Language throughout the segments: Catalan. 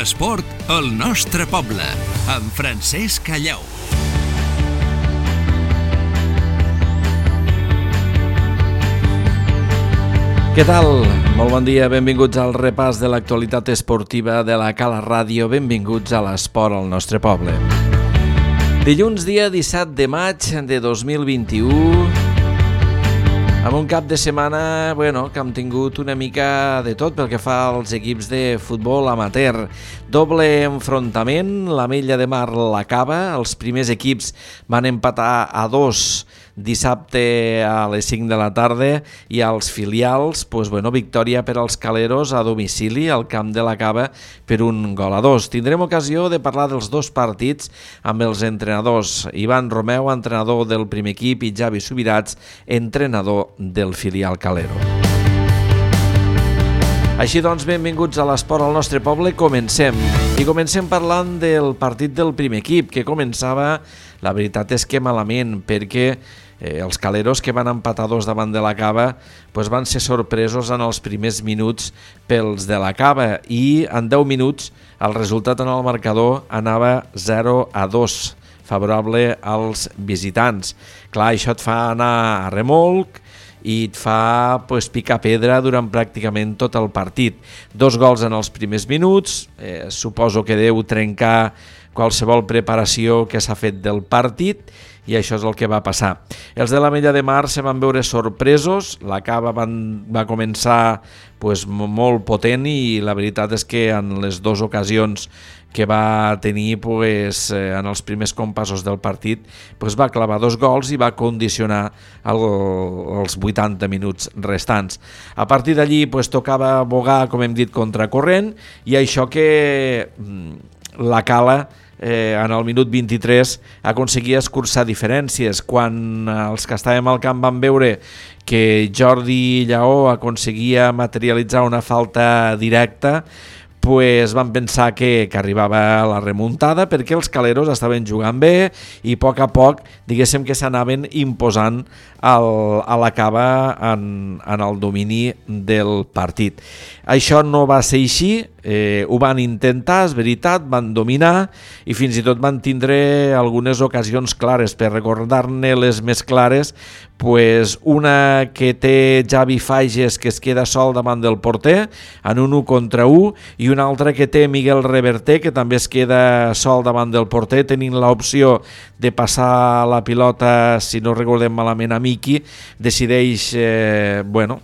L'esport al nostre poble, amb Francesc Callau. Què tal? Molt bon dia, benvinguts al repàs de l'actualitat esportiva de la Cala Ràdio, benvinguts a l'esport al nostre poble. Dilluns, dia 17 de maig de 2021, amb un cap de setmana que hem tingut una mica de tot pel que fa als equips de futbol amateur. Doble enfrontament, l'Ametlla de Mar l'acaba, els primers equips van empatar a 2 dissabte a les 5 de la tarda i als filials, victòria per als caleros a domicili al camp de la Cava per 1-2. Tindrem ocasió de parlar dels dos partits amb els entrenadors. Ivan Romeu, entrenador del primer equip, i Javi Subirats, entrenador del filial calero. Així doncs, benvinguts a l'esport al nostre poble. Comencem. I comencem parlant del partit del primer equip, que començava, la veritat és que malament, perquè els caleros, que van empatar 2 davant de la Cava, van ser sorpresos en els primers minuts pels de la Cava, i en 10 minuts el resultat en el marcador anava 0-2, favorable als visitants. Clar, això et fa anar a remolc i et fa picar pedra durant pràcticament tot el partit. 2 gols en els primers minuts, suposo que deu trencar qualsevol preparació que s'ha fet del partit, i això és el que va passar. Els de l'Ametlla de Mar se van veure sorpresos, la Cava va començar molt potent, i la veritat és que en les 2 ocasions que va tenir en els primers compassos del partit va clavar 2 gols i va condicionar els 80 minuts restants. A partir d'allí tocava bogar, com hem dit, contracorrent, i això que la Cala en el minut 23 aconseguia escurçar diferències. Quan els que estàvem al camp van veure que Jordi Lleó aconseguia materialitzar una falta directa, van pensar que arribava la remuntada, perquè els caleros estaven jugant bé i a poc diguéssim que s'anaven imposant a la Cava en el domini del partit. Això no va ser així, ho van intentar, és veritat, van dominar i fins i tot van tindre algunes ocasions clares. Per recordar-ne les més clares, una que té Javi Fages, que es queda sol davant del porter en un 1 contra 1, i una altra que té Miguel Reverter, que també es queda sol davant del porter, tenint l'opció de passar la pilota, si no recordem malament, a Miki. Decideix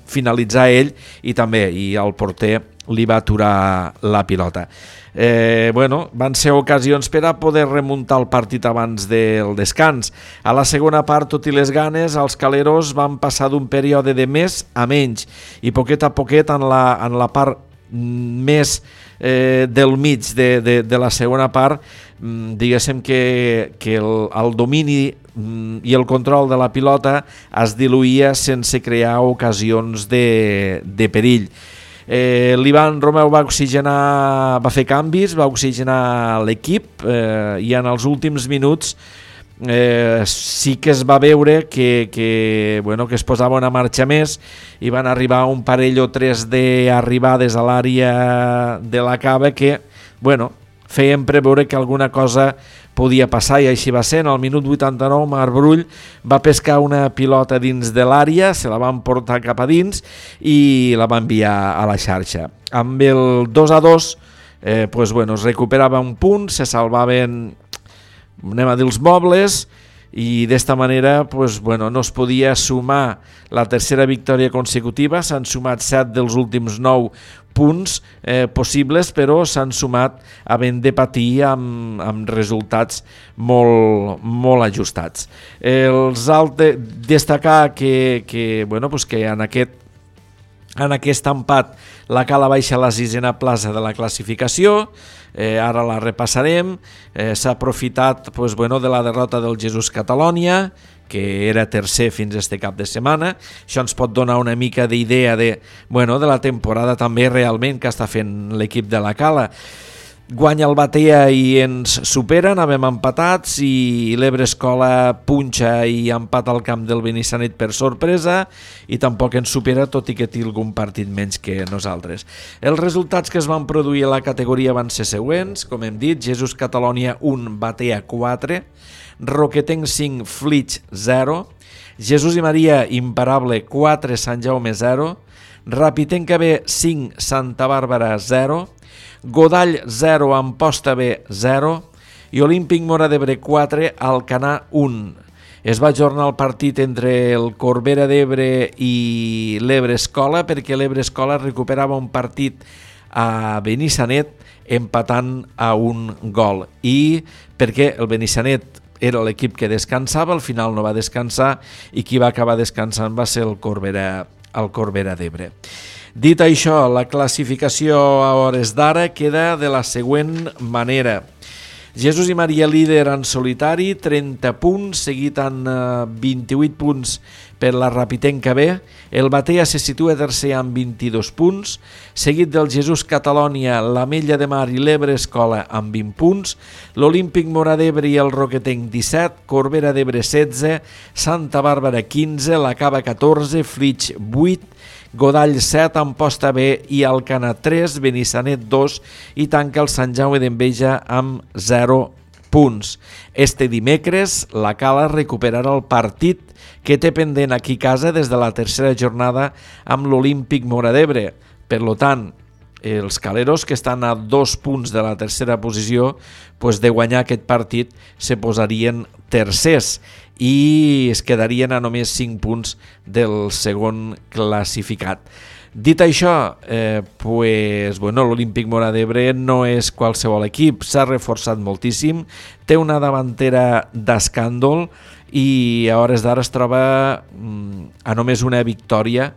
finalitzar ell, i el porter li va aturar la pilota. Van ser ocasions per a poder remuntar el partit abans del descans. A la segona part, tot i les ganes, els caleros van passar d'un període de més a menys, i poquet a poquet en la part més del mig de la segona part, diguéssim que el domini i el control de la pilota es diluïa sense crear ocasions de perill. L'Ivan Romeu va fer canvis, va oxigenar l'equip, i en els últims minuts sí que es va veure que es posava una marxa més, i van arribar un parell o 3 d'arribades a l'àrea de la Cava que feien preveure que alguna cosa podia passar, i així va ser. En el minut 89 Marc Brull va pescar una pilota dins de l'àrea, se la van portar cap a dins i la va enviar a la xarxa. Amb el 2-2 es recuperava un punt, se salvaven, els mobles, i d'esta manera no es podia sumar la tercera victòria consecutiva. S'han sumat 7 dels últims 9 punts possibles, però s'han sumat havent de patir amb resultats molt ajustats. Destacar que en aquest empat la Cala baixa a la 6a plaça de la classificació. Ara la repassarem. S'ha aprofitat de la derrota del Jesús Catalònia, que era tercer fins a este cap de setmana. Això ens pot donar una mica d'idea de la temporada també realment que està fent l'equip de la Cala. guanya el Batea i ens supera, anàvem empatats i l'Ebre Escola punxa i empata al camp del Benissanet per sorpresa i tampoc ens supera, tot i que té algun partit menys que nosaltres. Els resultats que es van produir a la categoria van ser següents, com hem dit, Jesús Catalònia 1, Batea 4, Roquetenc 5, Flix 0, Jesús i Maria Imparable 4, Sant Jaume 0, Rapitenca B 5, Santa Bàrbara 0, Godall 0, Amposta B 0 i Olímpic Móra d'Ebre 4, Alcanar 1. Es va ajornar el partit entre el Corbera d'Ebre i l'Ebre Escola perquè l'Ebre Escola recuperava un partit a Benissanet empatant a un gol i perquè el Benissanet era l'equip que descansava, al final no va descansar i qui va acabar descansant va ser el Corbera d'Ebre. Dit això, la classificació a hores d'ara queda de la següent manera. Jesús i Maria líder en solitari, 30 punts, seguit amb 28 punts per la Rapitenca B. El Batea se situa tercer amb 22 punts, seguit del Jesús Catalònia, l'Ametlla de Mar i l'Ebre Escola amb 20 punts, l'Olímpic Móra d'Ebre i el Roquetenc 17, Corbera d'Ebre 16, Santa Bàrbara 15, la Cava 14, Flix 8, Godall 7, Amposta B i Alcanar 3, Benissanet 2 i tanca el Sant Jaume d'Enveja amb 0 punts. Este dimecres la Cala recuperarà el partit que té pendent aquí a casa des de la tercera jornada amb l'Olímpic Móra d'Ebre. Per tant, els caleros que estan a 2 punts de la tercera posició, de guanyar aquest partit se posarien tercers i es quedarien a només 5 punts del segon classificat. Dit això, l'Olímpic Móra d'Ebre no és qualsevol equip, s'ha reforçat moltíssim, té una davantera d'escàndol i a hores d'ara es troba a només una victòria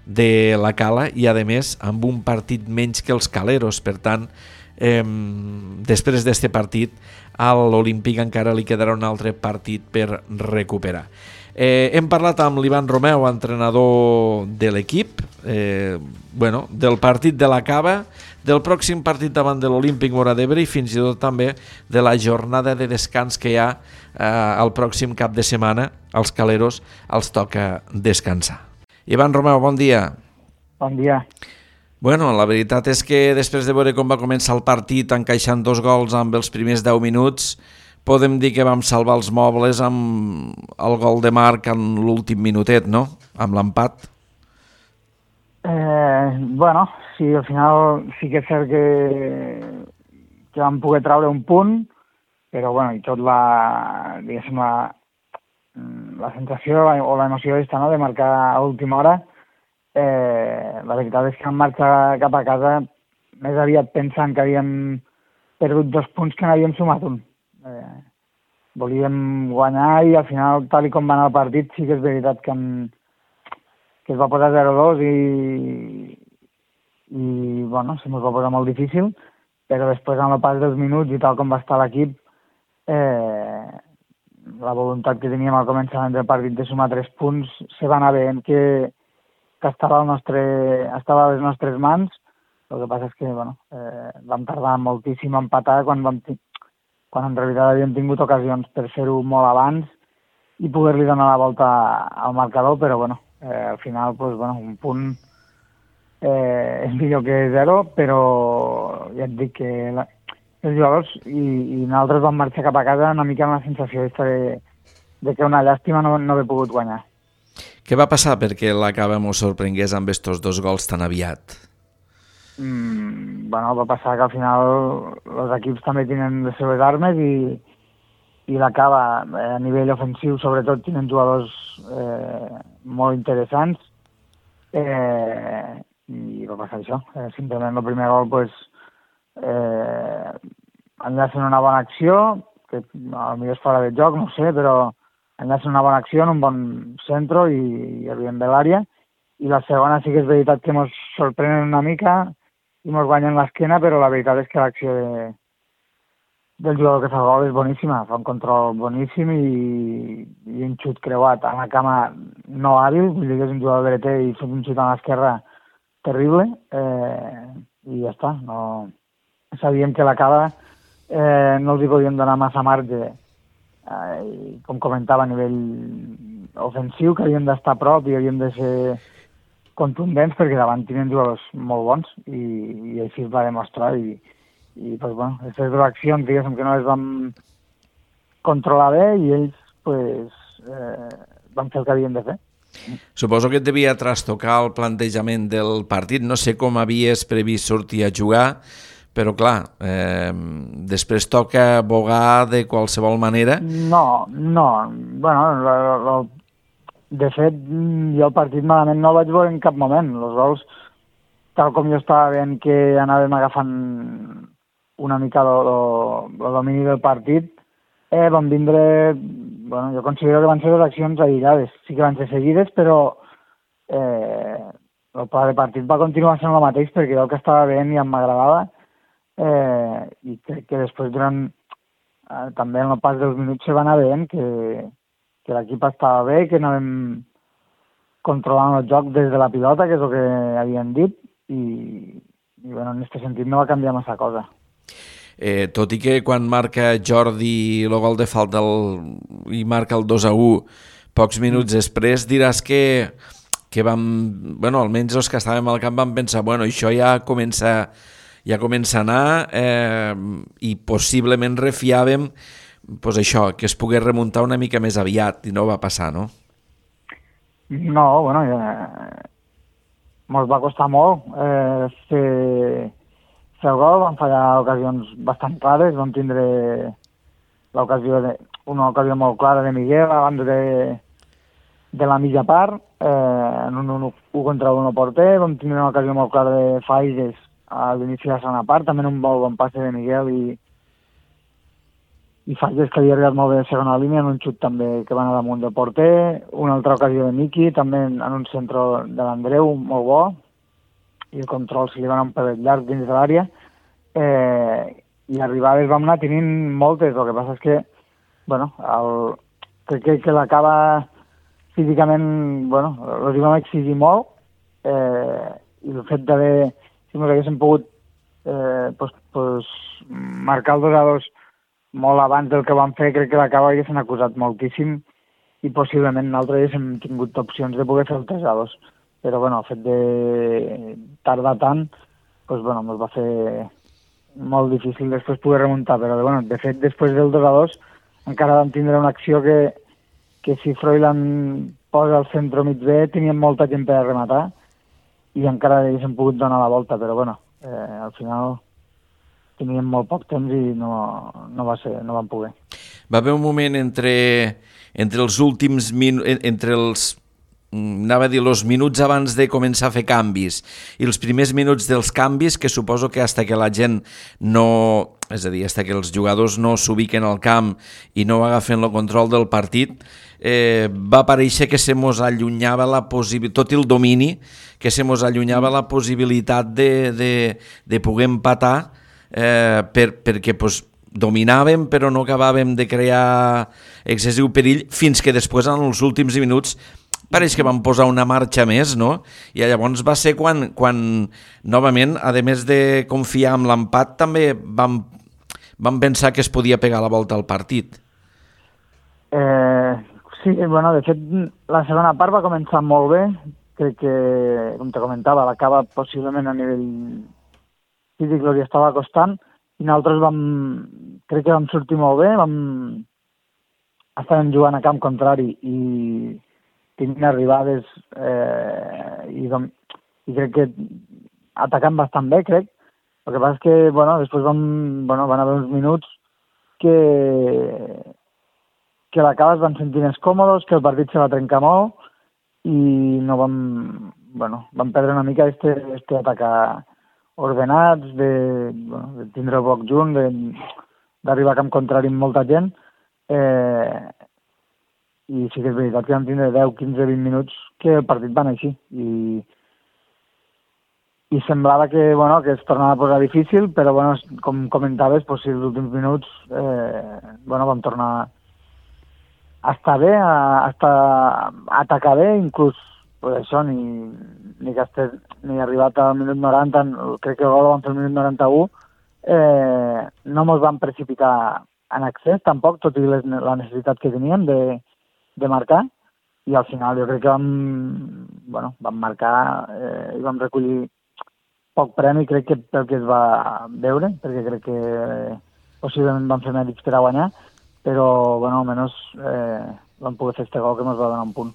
de la Cala i a més amb un partit menys que els caleros. Per tant, després d'aquest partit a l'Olímpic encara li quedarà un altre partit per recuperar. Hem parlat amb l'Ivan Romeu, entrenador de l'equip, del partit de la Cava, del pròxim partit davant de l'Olímpic Móra d'Ebre i fins i tot també de la jornada de descans que hi ha el pròxim cap de setmana. Als caleros els toca descansar. Ivan Romeu, bon dia. Bon dia. La veritat és que després de veure com va començar el partit encaixant 2 gols amb els primers 10 minuts, podem dir que vam salvar els mobles amb el gol de Marc en l'últim minutet, no? Amb l'empat. Sí, al final sí que és cert que vam poder treure un punt, però i tot la sensació o l'emoció no, de marcar a última hora, la veritat és que vam marxar cap a casa més aviat pensant que havíem perdut 2 punts que n'havíem sumat un. Volíem guanyar i al final, tal com va anar el partit, sí que és veritat que es va posar 0-2 i se mos va posar molt difícil, però després amb el pas dels minuts i tal com va estar l'equip, la voluntat que teníem al començament del partit de sumar 3 punts se va anar veient que estava a les nostres mans. El que passa és que vam tardar moltíssim a empatar quan en realitat havíem tingut ocasions per fer-ho molt abans i poder-li donar la volta al marcador, però al final un punt és millor que 0, però ja et dic que els jugadors i nosaltres vam marxar cap a casa una mica amb la sensació de que una llàstima no haver pogut guanyar. Què va passar perquè la Cava mos sorprengués amb estos 2 gols tan aviat? Va passar que al final els equips també tenen les seves armes i la Cava a nivell ofensiu sobretot tenen jugadors molt interessants i va passar això. Simplement el primer gol enllacen una bona acció, que potser és fora de joc, no ho sé, però enllacen una bona acció en un bon centre i arribem bé l'àrea. I la segona sí que és veritat que ens sorprenen una mica i ens guanyen l'esquena, però la veritat és que l'acció del jugador que fa el gol és boníssima, fa un control boníssim i un xut creuat a la cama no hàbil, vull dir que és un jugador dreter i fa un xut a l'esquerra terrible, i ja està. No, sabíem que la Cava no els hi podíem donar massa marge, i com comentava, a nivell ofensiu, que havíem d'estar a prop i havíem de ser contundents, perquè davant tenien jugadors molt bons i així es va demostrar i pues, bueno, aquestes dues accions, diguéssim, que no les vam controlar bé i ells pues, van fer el que havien de fer. Suposo que et devia trastocar el plantejament del partit. No sé com havies previst sortir a jugar, però clar, després toca bogar de qualsevol manera. No. Bueno, de fet, jo el partit malament no el vaig veure en cap moment. Els gols, tal com jo estava veient que anàvem agafant una mica el domini del partit, van vindre... Bueno, jo considero que van ser dues accions aïllades. Sí que van ser seguides, però el pla de partit va continuar sent el mateix perquè el que estava veient i em m'agradava, i crec que després també en el pas dels minuts se va anar veient que l'equip estava bé, que anàvem controlant el joc des de la pilota, que és el que havien dit, i bueno, en aquest sentit no va canviar massa cosa. Tot i que quan marca Jordi el gol de falta i marca el 2-1 pocs minuts després, diràs que vam, bueno, almenys els que estàvem al camp vam pensar, bueno, això ja comença a anar, i possiblement refiàvem pues això, que es pogués remuntar una mica més aviat, i no va passar, no? No, bueno, mos va costar molt fer el gol, vam fallar ocasions bastant clares, vam tindre una ocasió molt clara de Miguel abans de la mitja part, en un 1 contra 1 porter, vam tindre una ocasió molt clara de Faigues a l'inici de la segona part, també en un molt bon passe de Miguel i Faigues, que havia arribat molt bé de segona línia, en un xut també que va anar damunt del porter, una altra ocasió de Miki, també en un centre de l'Andreu, molt bo, i el control se li va anar un pelet llarg dins de l'àrea, i arribades vam anar tenint moltes. El que passa és que, bueno, crec que l'acaba físicament, bueno, els hi vam exigir molt, i el fet d'haver, si ens haguéssim pogut marcar el 2-2 molt abans del que vam fer, crec que l'acaba haguessin acusat moltíssim i possiblement nosaltres haguéssim tingut opcions de poder fer el 3-2. Però bueno, el fet de tardar tant, doncs, bueno, ens va fer molt difícil després poder remuntar, però bueno, de fet, després del 2-2 encara vam tindre una acció que si Froilán posa al centre mig bé, teníem molta gent per a rematar i encara haguéssim pogut donar la volta, però bueno, al final teníem molt poc temps i no vam poder. Va haver un moment entre els últims minuts, anava a dir, els minuts abans de començar a fer canvis i els primers minuts dels canvis, que suposo que hasta que la gent no... És a dir, hasta que els jugadors no s'ubiquen al camp i no agafen el control del partit, va aparèixer que se mos allunyava tot el domini, que se mos allunyava la possibilitat de poder empatar, perquè pues, dominàvem però no acabàvem de crear excessiu perill, fins que després en els últims minuts pareix que vam posar una marxa més, no? I llavors va ser quan novament, a més de confiar en l'empat, també vam pensar que es podia pegar la volta al partit. Sí, bueno, de fet, la segona part va començar molt bé. Crec que, com te comentava, l'acaba possiblement a nivell físic li estava costant i nosaltres crec que vam sortir molt bé, estàvem jugant a camp contrari i tenint arribades i crec que atacant bastant bé, crec. El que passa és que, bueno, després van haver uns minuts que l'acaba es van sentir més còmodes, que el partit se va trencar molt i no vam perdre una mica este atacar ordenats, de tindre el bloc junt, d'arribar a camp contrari amb molta gent, i sí que és veritat que vam tindre 10, 15, 20 minuts que el partit va anar així i semblava que es tornava a posar difícil, però com comentaves, els últims minuts vam tornar a estar bé, a atacar bé, inclús això, ni arribat al minut 90, crec que el gol el vam fer al minut 91, no ens vam precipitar en accés, tampoc, tot i la necessitat que teníem de marcar, i al final jo crec que vam marcar i vam recollir poc premi, crec que pel que es va veure, perquè crec que possiblement vam fer mèrits per a guanyar, però, almenys vam poder fer este gol que ens va donar un punt.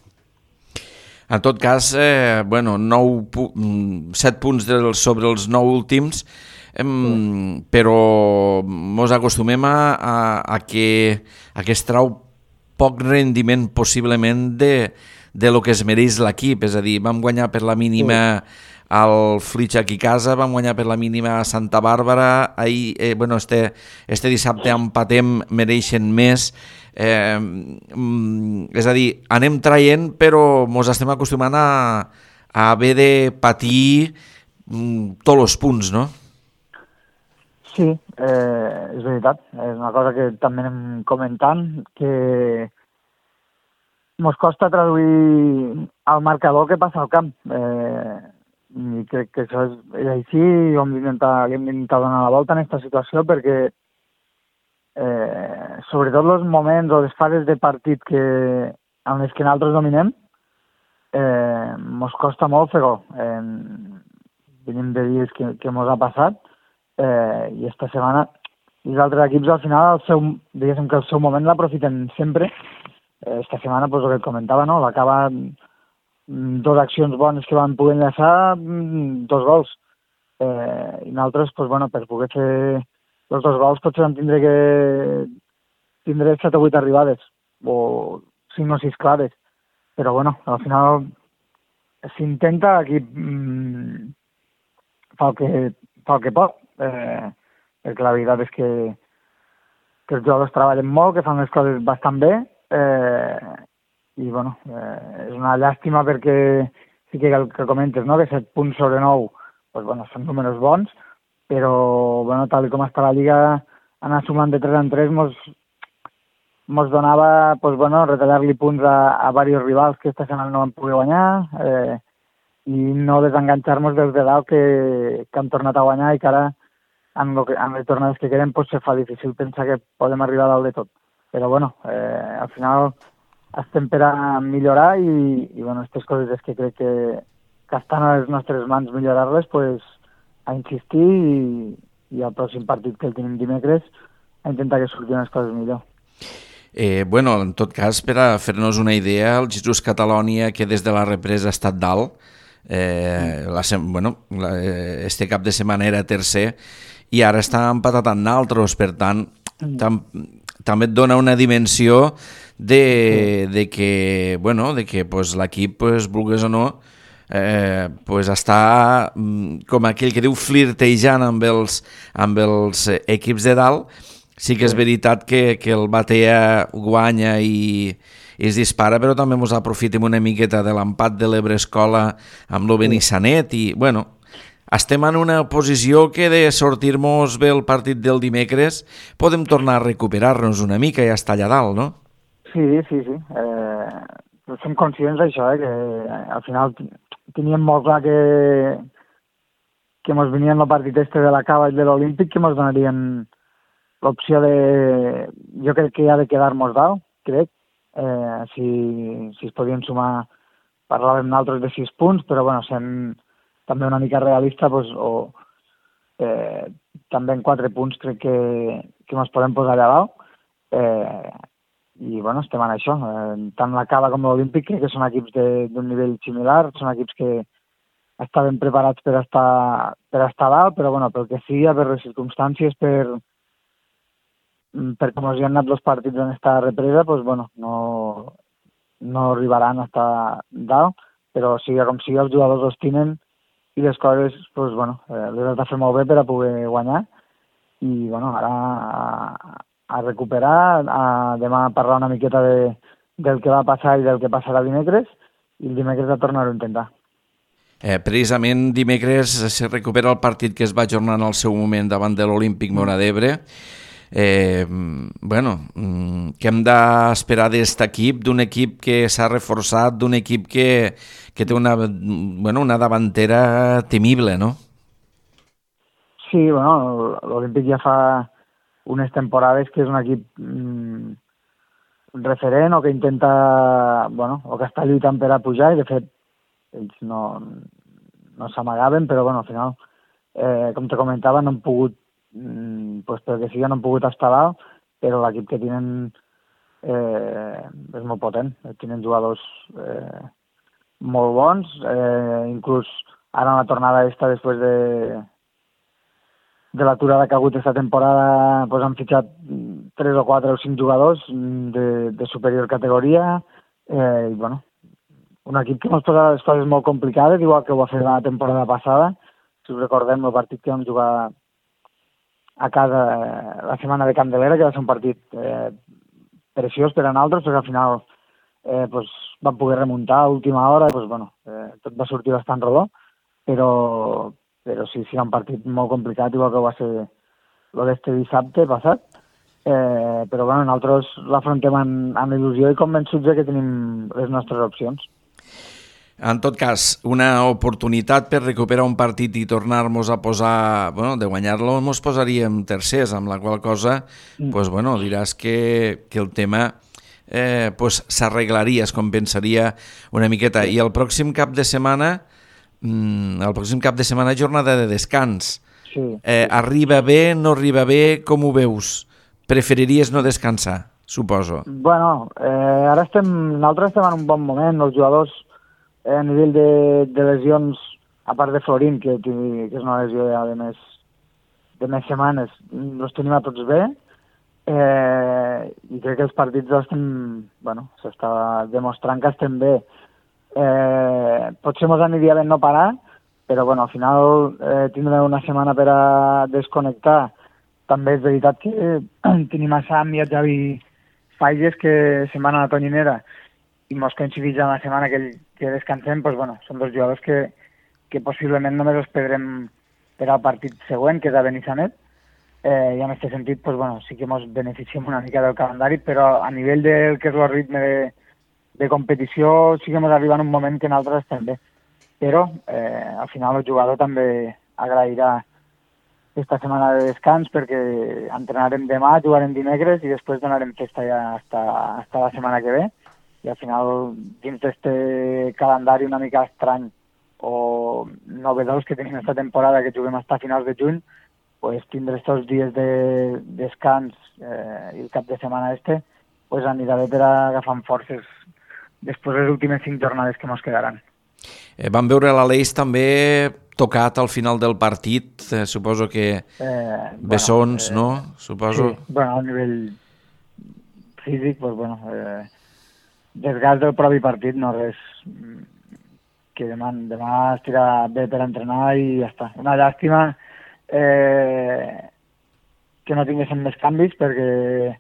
En tot cas, 7 punts sobre els 9 últims, però ens acostumem a que es trau poc rendiment possiblement de lo que es mereix l'equip, és a dir, vam guanyar per la mínima al Flix aquí a casa, vam guanyar per la mínima a Santa Bàrbara, ahir, este dissabte empatem, mereixen més, és a dir, anem traient, però ens estem acostumant a haver de patir tots els punts, no? Sí, és veritat. És una cosa que també anem comentant, que ens costa traduir al marcador que passa al camp. I crec que això és així, i hem d'intentar donar la volta en aquesta situació, perquè sobretot els moments o les fases de partit en les que nosaltres dominem, ens costa molt fer gol. Venim de dies que ens ha passat, i esta setmana els altres equips al final diguéssim que el seu moment l'aprofiten sempre. Esta setmana, el que et comentava, no? L'acaba 2 accions bones que van poder enllaçar, 2 gols. I nosaltres, per poder fer els 2 gols potser vam tindré 7 o 8 arribades, o 5 o 6 clares. Però al final s'intenta, l'equip fa el que pot, perquè la veritat és que els jugadors treballen molt, que fan les coses bastant bé, i és una llàstima perquè sí que el que comentes, no? Que 7 punts sobre 9 són números bons, però tal com està la Lliga, anar sumant de 3 en 3 mos donava retallar-li punts a diversos rivals que esta setmana no van poder guanyar, i no desenganxar-nos dels de dalt que han tornat a guanyar i que ara en les tornades que queden se fa difícil pensar que podem arribar a dalt de tot. Però al final estem per a millorar i aquestes coses és que crec que estan a les nostres mans millorar-les, a insistir i al pròxim partit que el tenim dimecres a intentar que surtin les coses millor. En tot cas, per a fer-nos una idea, el Jesús Catalònia, que des de la represa ha estat dalt, este cap de setmana era tercer i ara està empatat amb naltros, per tant també et dona una dimensió de que l'equip, vulguis o no, està com aquell que diu flirtejant amb els equips de dalt. Sí que és veritat que el Batea guanya i es dispara, però també ens aprofitem una miqueta de l'empat de l'Ebre Escola amb el Benissanet i, estem en una posició que de sortir-nos bé el partit del dimecres podem tornar a recuperar-nos una mica i estar allà dalt, no? Sí. Som conscients d'això, que al final teníem molt clar que ens venien el partit de la Cava i de l'Olímpic, que ens donarien l'opció jo crec que ha de quedar-nos dalt, crec. Si es podien sumar, parlàvem nosaltres de 6 punts, però sent també una mica realista, també en 4 punts crec que ens podem posar allà dalt. I estem en això. Tant la Cava com l'Olímpic crec que són equips d'un nivell similar, són equips que estaven preparats per estar dalt, però pel que sigui, per les circumstàncies, per com els hi han anat els partits en esta represa, no arribaran a estar dalt, però sigui com sigui, els jugadors els tenen i les coses les has de fer molt bé per a poder guanyar. I ara a recuperar, demà a parlar una miqueta del que va passar i del que passarà dimecres, i el dimecres a tornar-ho a intentar. Precisament dimecres se recupera el partit que es va ajornar en el seu moment davant de l'Olímpic Móra d'Ebre. Què hem d'esperar d'aquest equip, d'un equip que s'ha reforçat, d'un equip que té una davantera temible, no? Sí, bueno, l'Olímpic ja fa unes temporades que és un equip referent o que intenta, bueno, o que està lluitant per a pujar, i de fet ells no s'amagaven, però bueno, al final, com te comentava, no han pogut, pues perquè sí, no han pogut estar dalt, però l'equip que tenen és molt potent. Tenen jugadors molt bons, inclús ara en la tornada després de l'aturada que ha hagut aquesta temporada, pues han fitxat 3 o 4 o 5 jugadors de superior categoria, i bueno, un equip que ens posa les coses molt complicades, igual que ho va fer la temporada passada. Si us recordem, el partit que vam jugar a casa la setmana de Candelera, que va ser un partit preciós per a nosaltres, perquè al final pues, vam poder remuntar a última hora, pues, bueno, tot va sortir bastant rodó, però sí, era un partit molt complicat, igual que va ser el d'este dissabte passat, però bueno, nosaltres l'afrontem amb il·lusió i convençuts que tenim les nostres opcions. En tot cas, una oportunitat per recuperar un partit i tornar-nos a posar, bueno, de guanyar-lo, ens posaríem tercers, amb la qual cosa, pues, bueno, diràs que el tema pues, s'arreglaria, es compensaria una miqueta. I el pròxim cap de setmana, jornada de descans. Sí. Arriba bé, no arriba bé, com ho veus? Preferiries no descansar, suposo. Bueno, nosaltres estem en un bon moment, els jugadors a nivell de lesions, a part de Florín, que és una lesió de més setmanes, els tenim a tots bé, i crec que els partits s'està demostrant que estem bé. Potser ens aniria bé no parar, però bueno, al final tindrem una setmana per a desconnectar. També és veritat que tenim a Sam i a Javi Falles que se'n van a la Tonyinera i mos coincideix en la setmana que descansem, doncs, bueno, són dos jugadors que possiblement només els perdrem per al partit següent, que és a Benissanet, i en aquest sentit, doncs, bueno, sí que ens beneficiem una mica del calendari, però a nivell del que és el ritme de competició sí que ens arriba en un moment que nosaltres estem bé. Però al final el jugador també agrairà aquesta setmana de descans perquè entrenarem demà, jugarem dimecres i després donarem festa ja hasta la setmana que ve. I al final, dins d'aquest calendari una mica estrany o novedós que tenim aquesta temporada, que juguem fins a finals de juny, pues, tindre aquests dies de descans i el cap de setmana pues, anirà bé per agafar forces després de les últimes 5 jornades que ens quedaran. Vam veure l'Aleix també tocat al final del partit, suposo que bessons, no? Suposo. Sí, bueno, a nivell físic, pues, bueno, desgast del propi partit, no res que demà estirà bé per entrenar i ja està. Una llàstima que no tinguéssim més canvis perquè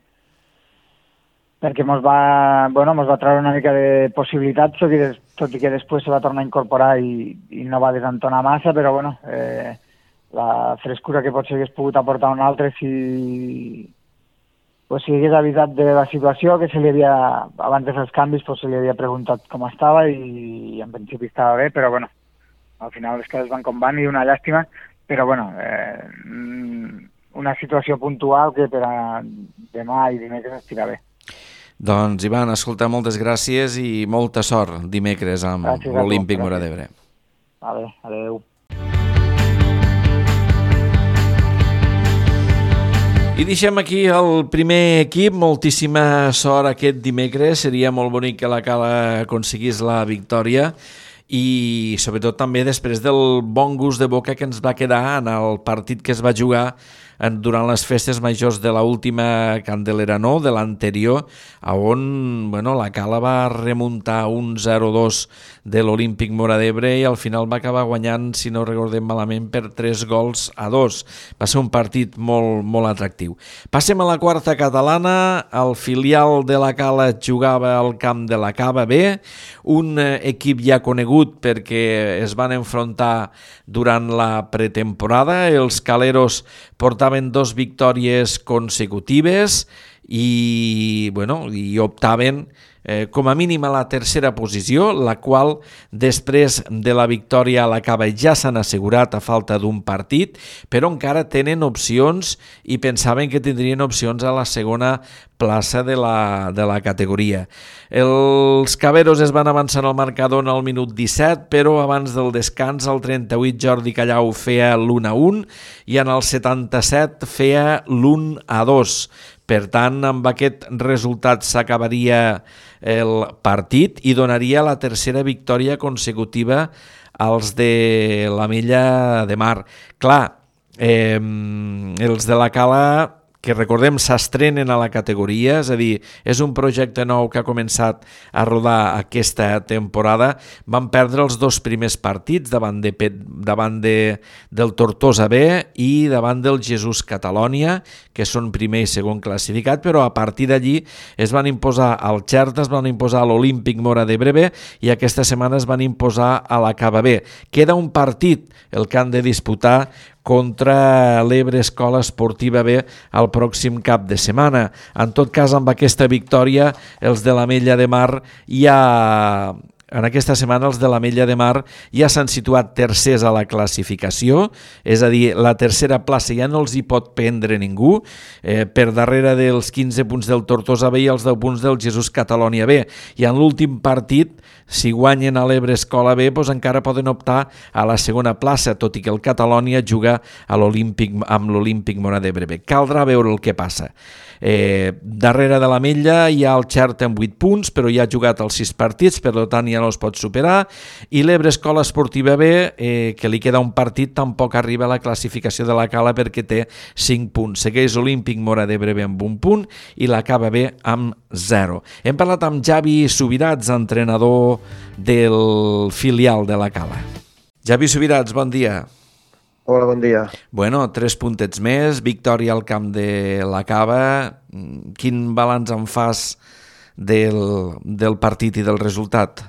mos va treure una mica de possibilitats, tot i que després se va tornar a incorporar i no va desentonar massa, però bueno, la frescura que potser hagués pogut aportar un altre si hagués avisat de la situació, que abans de fer els canvis se li havia preguntat com estava i en principi estava bé, però bueno, al final les coses van com van i una llàstima, però bueno, una situació puntual que per a demà i dimecres estirà bé. Doncs, Ivan, escolta, moltes gràcies i molta sort dimecres amb l'Olímpic Móra d'Ebre. Vale, adeu. I deixem aquí el primer equip, moltíssima sort aquest dimecres, seria molt bonic que la Cala aconseguís la victòria i sobretot també després del bon gust de boca que ens va quedar en el partit que es va jugar durant les festes majors de l'última Candelera, no, de l'anterior, on la Cala va remuntar un 0-2 de l'Olímpic Móra d'Ebre i al final va acabar guanyant, si no recordem malament, per 3-2. Va ser un partit molt, molt atractiu. Passem a la quarta catalana. El filial de la Cala jugava al camp de la Cava B, un equip ja conegut perquè es van enfrontar durant la pretemporada. Els caleros portaven 2 victòries consecutives i optaven com a mínim a la tercera posició, la qual després de la victòria a la Cava ja s'han assegurat a falta d'un partit, però encara tenen opcions i pensaven que tindrien opcions a la segona plaça de la categoria. Els caberos es van avançar al marcador al minut 17, però abans del descans, al 38, Jordi Callau feia l'1-1 i en el 77 feia l'1-2. Per tant, amb aquest resultat s'acabaria el partit i donaria la tercera victòria consecutiva als de l'Ametlla de Mar. Clar, els de la Cala, que recordem s'estrenen a la categoria, és a dir, és un projecte nou que ha començat a rodar aquesta temporada, van perdre els dos primers partits davant del Tortosa B i davant del Jesús Catalònia, que són primer i segon classificat, però a partir d'allí es van imposar al Xerta, es van imposar a l'Olímpic Móra d'Ebre B i aquesta setmana es van imposar a la Cava B. Queda un partit, el que han de disputar contra l'Ebre Escola Esportiva B el pròxim cap de setmana. En tot cas, amb aquesta victòria, els de l'Ametlla de Mar en aquesta setmana els de l'Ametlla de Mar ja s'han situat tercers a la classificació, és a dir, la tercera plaça ja no els hi pot prendre ningú, per darrere dels 15 punts del Tortosa B i els 10 punts del Jesús Catalònia B. I en l'últim partit, si guanyen a l'Ebre Escola B, doncs encara poden optar a la segona plaça, tot i que el Catalònia juga amb l'Olímpic Móra d'Ebre B. Caldrà veure el que passa. Darrere de l'Ametlla hi ha el Xerta amb 8 punts, però ja ha jugat els 6 partits, per tant ja no es pot superar, i l'Ebre Escola Esportiva B, que li queda un partit, tampoc arriba a la classificació de la Cala perquè té 5 punts. Segueix Olímpic Móra d'Ebre B amb 1 punt i la Cava B amb 0. Hem parlat amb Javi Subirats, entrenador del filial de la Cala. Javi Subirats, bon dia. Hola, bon dia. Bueno, 3 puntets més, victòria al camp de la Cava. Quin balanç en fas del partit i del resultat?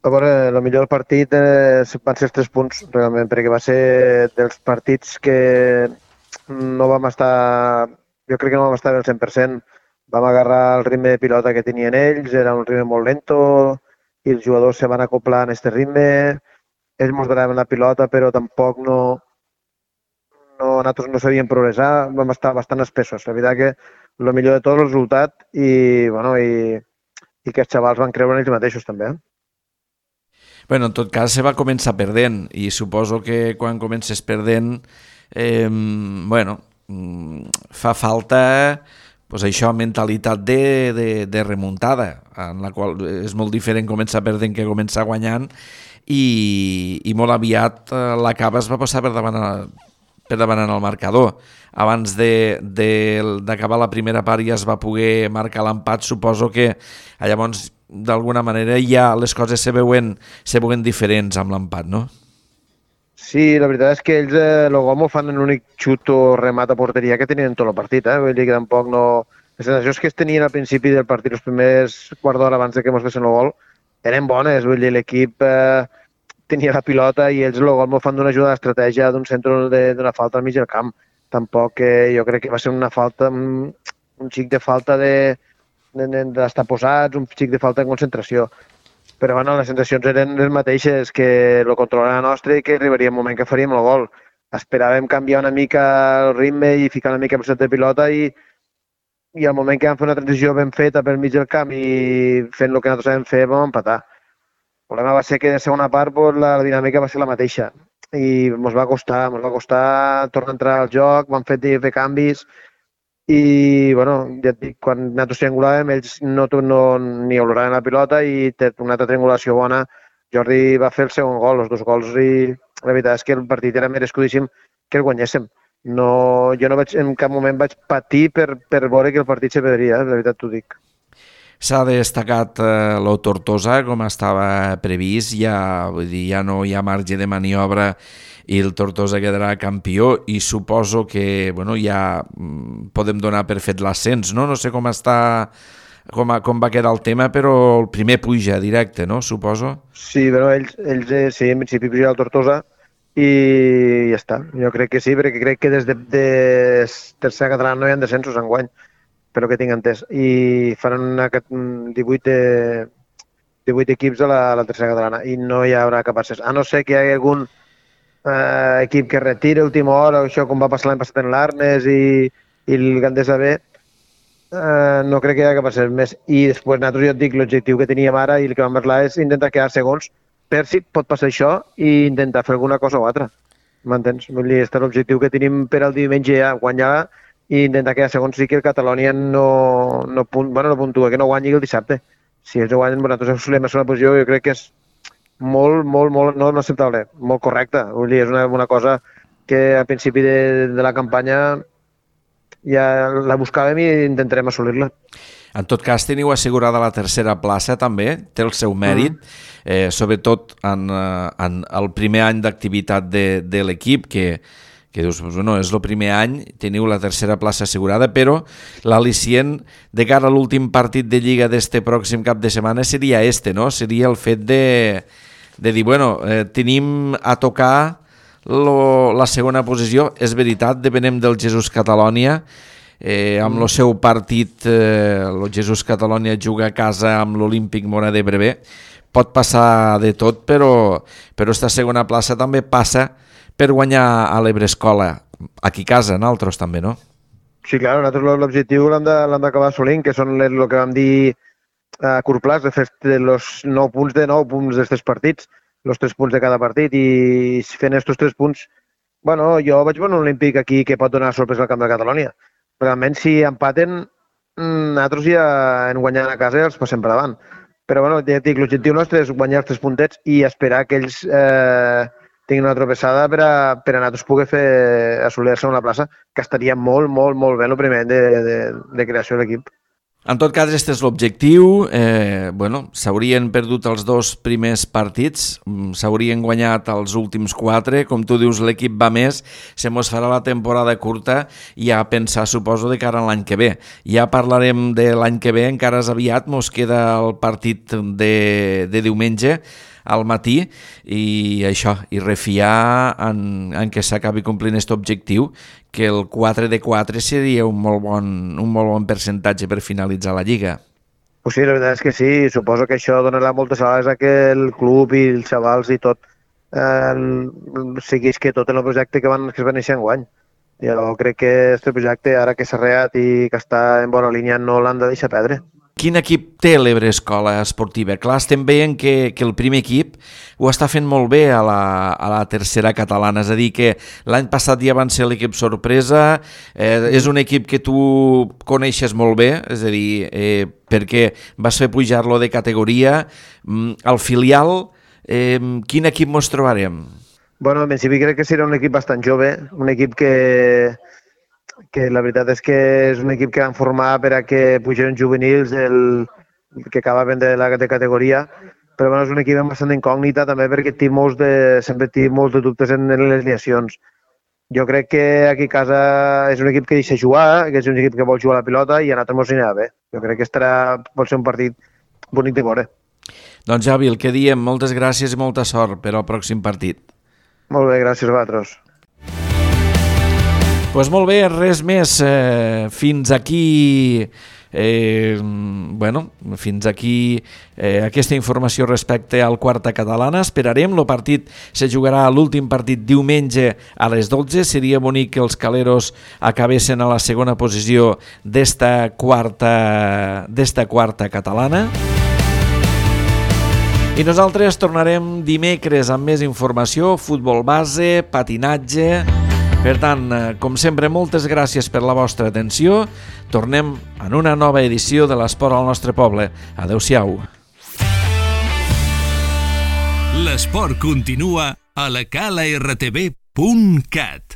A veure, el millor del partit van ser els 3 punts, realment, perquè va ser dels partits que no vam estar, jo crec que no vam estar al 100%. Vam agarrar el ritme de pilota que tenien ells, era un ritme molt lento i els jugadors se van acoplar en aquest ritme. Ells mos donaven la pilota, però tampoc nosaltres no sabíem progressar, vam estar bastant espessos. La veritat que el millor de tot el resultat i que els xavals van creure en ells mateixos també. Bueno, en tot cas se va començar perdent i suposo que quan comences perdent, fa falta pues això, mentalitat de remuntada, en la qual és molt diferent començar perdent que començar guanyant i molt aviat la Cava es va passar per davant en el marcador. Abans d'acabar la primera part ja es va poder marcar l'empat, suposo que llavors d'alguna manera ja les coses se veuen diferents amb l'empat, no? Sí, la veritat és que ells el gol m'ho fan en l'únic xut o remat a porteria que tenien en tot el partit. Vull dir que tampoc no... Les sensacions que es tenien al principi del partit, els primers quart d'hora abans que mos fessin el gol, eren bones. Vull dir, l'equip tenia la pilota i ells el gol m'ho fan d'una ajuda d'estratègia d'un centre d'una falta al mig del camp. Tampoc jo crec que va ser una falta, un xic de falta d'estar posats, un xic de falta de concentració. Però bueno, les sensacions eren les mateixes, que el control era nostre i que arribaria un moment que faríem el gol. Esperàvem canviar una mica el ritme i ficar una mica el de pilota i al moment que vam fer una transició ben feta pel mig del camp i fent el que nosaltres sabem fer, vam empatar. El problema va ser que de segona part la dinàmica va ser la mateixa i ens va costar tornar a entrar al joc, vam fer canvis i, bueno, ja et dic, quan nosaltres triangulàvem, ells ni oloraven la pilota i una altra triangulació bona. Jordi va fer el segon gol, els 2 gols, i la veritat és que el partit era merescudíssim que el guanyéssim. Jo no en cap moment vaig patir per veure que el partit se perdria, la veritat t'ho dic. S'ha destacat l'O Tortosa, com estava previst, ja no hi ha marge de maniobra i el Tortosa quedarà campió i suposo que ja podem donar per fet l'ascens, no? No sé com va quedar el tema, però el primer puja directe, no? Suposo. Sí, però ells sí, en principi puja el Tortosa i ja està. Jo crec que sí, perquè crec que des de tercera catalana no hi ha descensos enguany. per que tinc entès, i faran 18 equips a la tercera catalana i no hi haurà cap accés, a no ser que hi hagi algun equip que retira a última hora, això com va passar l'any passat en l'Arnes i el Gandesa B, no crec que hi hagi cap accés més. I després nosaltres, jo et dic, l'objectiu que teníem ara i el que vam parlar és intentar quedar segons per si pot passar això i intentar fer alguna cosa o altra. M'entens? Vull dir, este és l'objectiu que tenim per al diumenge ja, guanyar i intentar quedar segons sí que el Catalonia no puntua, que no guanyi el dissabte. Si ells guanyen, nosaltres solem a una posició, jo crec que és molt no acceptable, molt correcta. Vull dir, és una cosa que al principi de la campanya ja la buscàvem i intentarem assolir-la. En tot cas, teniu assegurada la tercera plaça també, té el seu mèrit, sobretot en el primer any d'activitat de l'equip, que dius, bueno, és el primer any, teniu la tercera plaça assegurada, però l'al·licient de cara a l'últim partit de Lliga d'este pròxim cap de setmana seria no? Seria el fet de dir, bueno, tenim a tocar la segona posició. És veritat, depenem del Jesús Catalonia, amb el seu partit, el Jesús Catalonia juga a casa amb l'Olímpic Móra d'Ebre. Pot passar de tot, però esta segona plaça també passa per guanyar a l'Ebre Escola, aquí a casa, nosaltres també, no? Sí, clar, nosaltres l'objectiu l'hem d'acabar assolint, que són el que vam dir a curt plaç, de fer els 9 punts d'aquests partits, els 3 punts de cada partit, i fent aquests 3 punts, bueno, jo vaig veure un Olímpic aquí que pot donar sorpresa al camp de Catalonia. Realment, si empaten, nosaltres ja en guanyant a casa els passem per davant. Però, bueno, ja dic, l'objectiu nostre és guanyar els 3 puntets i esperar que ells tinguin una tropeçada per a nosaltres poder assolir-se una plaça, que estaria molt bé el primer de creació de l'equip. En tot cas, aquest és l'objectiu. S'haurien perdut els 2 primers partits, s'haurien guanyat els últims 4. Com tu dius, l'equip va més, se mos farà la temporada curta i a pensar, suposo, de cara a l'any que ve. Ja parlarem de l'any que ve, encara és aviat, mos queda el partit de diumenge al matí i això, i refiar en que s'acabi complint aquest objectiu, que el 4 de 4 seria un molt bon percentatge per finalitzar la Lliga. Pues sí, la veritat és que sí, suposo que això donarà moltes ales a que el club i els xavals i tot seguís que tot en el projecte que es va néixer enguany. Jo crec que aquest projecte, ara que s'ha reat i que està en bona línia, no l'han de deixar perdre. Quin equip té l'Ebre Escola Esportiva? Clar, estem veient que el primer equip ho està fent molt bé a la tercera catalana, és a dir, que l'any passat ja van ser l'equip sorpresa, és un equip que tu coneixes molt bé, és a dir, perquè vas fer pujar-lo de categoria. Al filial, quin equip mos trobarem? Bueno, en principi crec que serà un equip bastant jove, un equip que la veritat és que és un equip que van formar per a que pugin juvenils que acabaven de categoria, però bueno, és un equip amb bastant incògnita també perquè sempre té molts de dubtes en les alineacions. Jo crec que aquí a casa és un equip que deixa jugar, que és un equip que vol jugar a la pilota i a nosaltres ens anirà bé. Jo crec que pot ser un partit bonic de veure. Doncs Javi, el que diem, moltes gràcies i molta sort per al pròxim partit. Molt bé, gràcies a vosaltres. Doncs molt bé, res més. Fins aquí aquesta informació respecte al Quarta Catalana. Esperarem, el partit se jugarà l'últim partit diumenge a les 12. Seria bonic que els caleros acabessin a la segona posició d'esta quarta catalana. I nosaltres tornarem dimecres amb més informació, futbol base, patinatge. Per tant, com sempre, moltes gràcies per la vostra atenció. Tornem en una nova edició de l'Esport al nostre poble. Adéu-siau. L'esport continua a la calartv.cat.